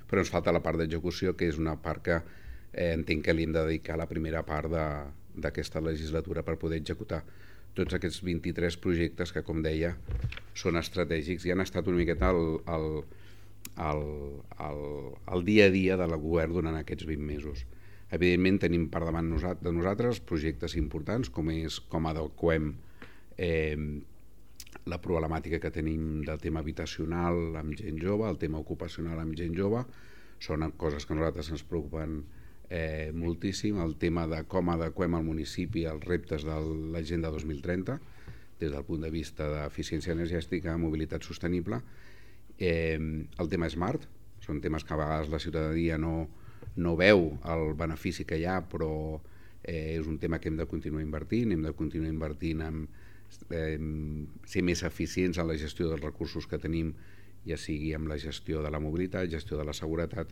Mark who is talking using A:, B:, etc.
A: però ens falta la part d'execució, que és una part que entenc que li hem de dedicar la primera part d'aquesta legislatura per poder executar tots aquests 23 projectes que, com deia, són estratègics i han estat una miqueta el dia a dia del govern durant aquests 20 mesos. Evidentment tenim per davant de nosaltres projectes importants com adequem la problemàtica que tenim del tema habitacional amb gent jove, el tema ocupacional amb gent jove, són coses que a nosaltres ens preocupen moltíssim, el tema de com adequem al municipi als reptes de l'Agenda 2030 des del punt de vista d'eficiència energètica, mobilitat sostenible, el tema smart, són temes que a vegades la ciutadania no veu el benefici que hi ha, però és un tema que hem de continuar invertint, hem de continuar invertint en ser més eficients en la gestió dels recursos que tenim, ja sigui amb la gestió de la mobilitat, gestió de la seguretat,